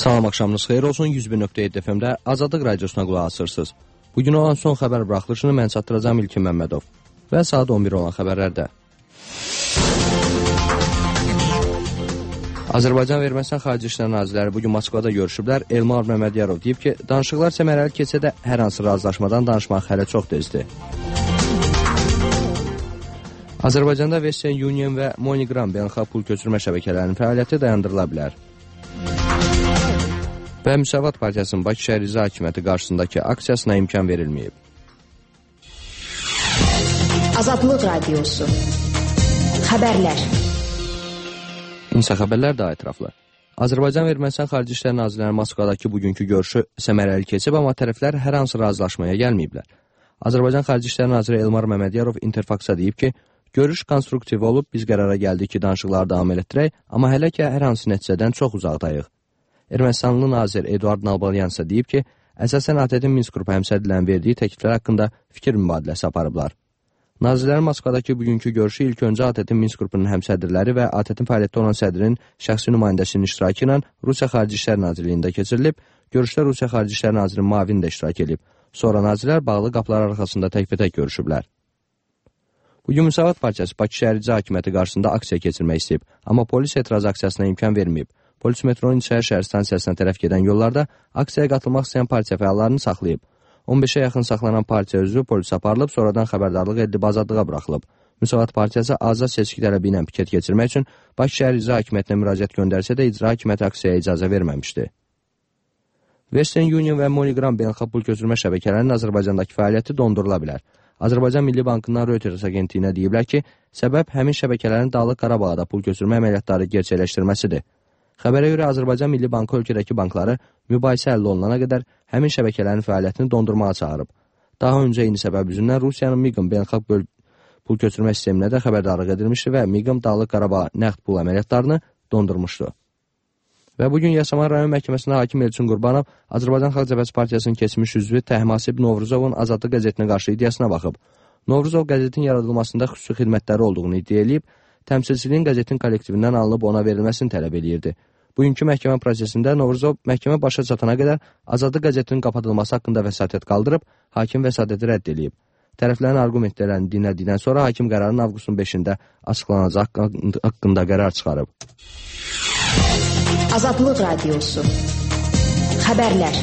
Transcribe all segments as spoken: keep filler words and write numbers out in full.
Salam, axşamınız xeyir olsun. yüz bir nöqtə yeddi F M-də Azadlıq Radiosuna qulaq asırsınız. Bugün olan son xəbər buraxılışını mən çatdıracağım İlkin Məmmədov və saat on bir olan xəbərlərdə. Azərbaycan və Ermənistan Xarici İşlər Nazirləri bugün Moskvada görüşüblər. Elmar Məmmədiyarov deyib ki, danışıqlar səmərəli keçsə də hər hansı razılaşmadan danışmaq hələ çox tezdir. Azərbaycanda Western Union və MoneyGram beynəlxalq pul köçürmə şəbəkələrinin fəaliyyəti dayandırıla bilər. Və Müsavat Partiyasının Bakı şəhər icra hakimiyyəti qarşısındakı aksiyasına imkan verilməyib. Azadlıq Radiosu Xəbərlər. İnsa xəbərlər daha ətraflı. Azərbaycan və Ermənistan Xarici İşlər Nazirləri Moskvadakı bugünkü görüşü səmərəli keçib, amma tərəflər hər hansı razılaşmaya gəlməyiblər. Azərbaycan Xarici İşlər Naziri Elmar Məmmədiyarov Interfax-a deyib ki, görüş konstruktiv olub, biz qərara gəldik ki, danışıqları davam etdirək, amma hələ ki, hər hansı nəticədən çox uzaqdayıq. Ermənistanlı nazir Eduard Nalbalyan isə deyib ki, əsasən A T T Minsk qrupu həmsədrlərin verdiyi təkliflər haqqında fikir mübadiləsi aparıblar. Nazirlərin Moskvadakı bugünkü görüşü ilk öncə A T T Minsk qrupunun həmsədrləri və A T T-in fəaliyyətdə olan sədrinin şəxsi nümayəndəsinin iştirakı ilə Rusiya Xarici İşlər Nazirliyində keçirilib, görüşdə Rusiya Xarici İşlər Nazirinin müavini də iştirak edib. Sonra nazirlər bağlı qapılar arxasında təkbətək görüşüblər. Bugün Müsavat Partiyası Bakı şəhər icra hakimiyyəti qarşısında aksiya keçirmək istəyib, amma polis etiraz aksiyasına imkan verməyib. Polis metronun İçəri şəhər stansiyasına tərəf gedən yollarda aksiyaya qatılmaq istəyən partiya fəallarını saxlayıb. on beşə yaxın saxlanan partiya üzvü polis aparılıb, sonradan xəbərdarlıq edilib azadlığa buraxılıb. Müsavat Partiyası azad seçki tələbi ilə piket keçirmək üçün Bakı şəhər icra hakimiyyətinə müraciət göndərsə də icra hakimiyyəti aksiyaya icazə verməmişdi. Western Union və MoneyGram beynəlxalq pul köçürmə şəbəkələrinin Azərbaycandakı fəaliyyəti dondurula bilər. Azərbaycan Milli Bankından Reuters agentliyinə deyiblər ki, səbəb həmin şəbəkələrin Dağlıq Qarabağda pul köçürmə əməliyyatları gerçəkləşdirməsidir. Xəbərə görə Azərbaycan Milli Bankı ölkədəki bankları mübahisə əldə olunana qədər həmin şəbəkələrin fəaliyyətini dondurmağa çağırıb. Daha öncə eyni səbəb üzündən Rusiyanın MİQM beynəlxalq pul köçürmə sisteminə də xəbərdarlıq edilmişdi və MİQM Dağlıq Qarabağ nəqd pul əməliyyatlarını dondurmuşdu. Və bugün Yasamal rayon məhkəməsində hakim Elçin Qurbanov Azərbaycan Xalq Cəbhəsi Partiyasının keçmiş üzvü Təhmasib Novruzovun Azadlıq qəzetinə qarşı iddiasına baxıb. Novruzov qəzetin yaradılmasında xüsusi xidmətləri olduğunu iddia edib, təmsilçiliyin qəzetin kollektivindən alınıb ona verilməsini tələb edirdi. Bugünkü məhkəmə prosesində Novruzov məhkəmə başa çatana qədər Azadlıq qəzetinin qapadılması haqqında vəsatət qaldırıb, hakim vəsatəti rədd edib. Tərəflərin argumentlərini dinlədikdən sonra hakim qərarın avqustun beşində açıqlanacaq haqqında qərar çıxarıb. Azadlıq Radiosu Xəbərlər.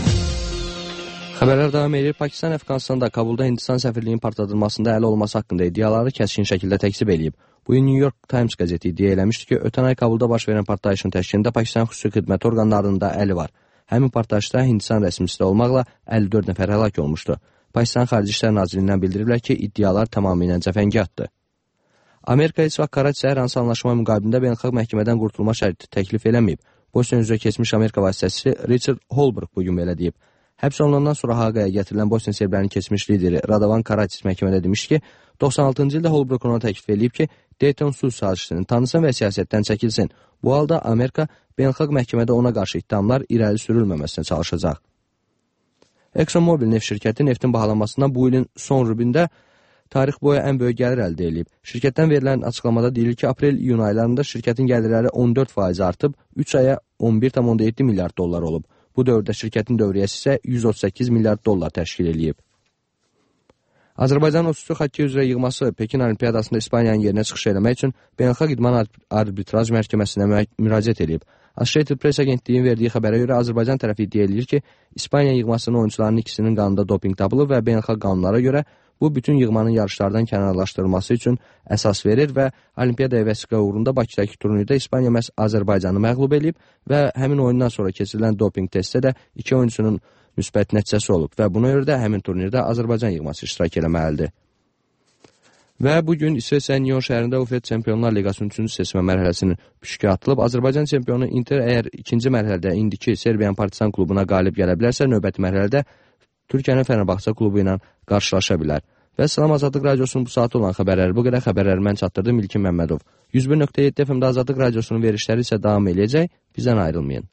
Xəbərlər davam edir. Pakistan Əfqanistanda Kabulda Hindistan səfirliyinin partladılmasında əli olması haqqında iddiaları kəskin şəkildə təkzib edib. Bu gün New York Times qəzeti iddia eləmişdi ki, ötən ay Kabulda baş verən partlayışın təşkilində Pakistan xüsusi xidmət orqanlarının da əli var. Həmin partlayışda Hindistan rəsmisi olmaqla əlli dörd nəfər həlak olmuşdu. Pakistan Xarici İşlər Nazirliyindən bildiriblər ki, iddialar tamamilə cəfəngiyatdır. Amerika heç vaxt Karaçi hər hansı anlaşma müqabilində beynəlxalq məhkəmədən qurtulma şərti təklif eləməyib. Bosniya üzrə keçmiş Amerika vasitəçisi Richard Holbrooke bugün belə deyib. Həbs olunandan sonra Haqaya gətirilən Bosniya serblərinin keçmiş lideri Radovan Karaçis məhkəmədə demiş ki, doxsan altıncı ildə Holbrooke ona təklif edib ki, Dayton sülh sazişini tanısın və siyasətdən çəkilsin. Bu halda Amerika beynəlxalq məhkəmədə ona qarşı ittihamlar irəli sürülməməsinə çalışacaq. ExxonMobil neft şirkəti neftin bahalanmasından bu ilin son rübündə tarix boyu ən böyük gəlir əldə edib. Şirkətdən verilən açıqlamada deyilir ki, aprel-iyun aylarında şirkətin gəlirləri on dörd faiz artıb, üç aya on bir tam yeddi milyard dollar olub. Bu dövrdə şirkətin dövriyyəsi isə yüz otuz səkkiz milyard dollar təşkil edib. Azərbaycan otuz üç xokkey üzrə yığması Pekin Olimpiyadasında İspaniyanın yerinə çıxış eləmək üçün Beynəlxalq İdman Arbitraj Məhkəməsinə müraciət edib. Associated Press agentliyin verdiyi xəbərə görə Azərbaycan tərəfi iddia edir ki, İspaniya yığmasının oyunçularının ikisinin qanında doping tapılıb və beynəlxalq qanunlara görə bu bütün yığmanın yarışlardan kənarlaşdırılması üçün əsas verir və Olimpiyada vəsiqə uğrunda Bakıdakı turnirdə İspaniya məhz Azərbaycanı məğlub edib və həmin oyundan sonra keçirilən doping testdə də iki oyunçunun müsbət nəticəsi olub və buna görə də həmin turnirdə Azərbaycan yığması iştirak eləməlidir. Və bugün İsveçrənin Nyon şəhərində U E F A Çempionlar Liqasının üçüncü seçmə mərhələsinin püşkü atılıb. Azərbaycan çempionu Inter əgər ikinci mərhələdə indiki Serbiyan Partizan klubuna qalib gələ bilərsə, növbəti mərhələdə Türkiyənin Fənərbağça klubu ilə qarşılaşa bilər. Və Salam Azadlıq Radiosunun bu saatı olan xəbərləri bu qədər. Xəbərləri mən çatdırdım İlkin Məmmədov. yüz bir nöqtə yeddi F M-də Azadlıq Radiosunun verişləri isə davam eləyəcək. Bizdən ayrılmayın.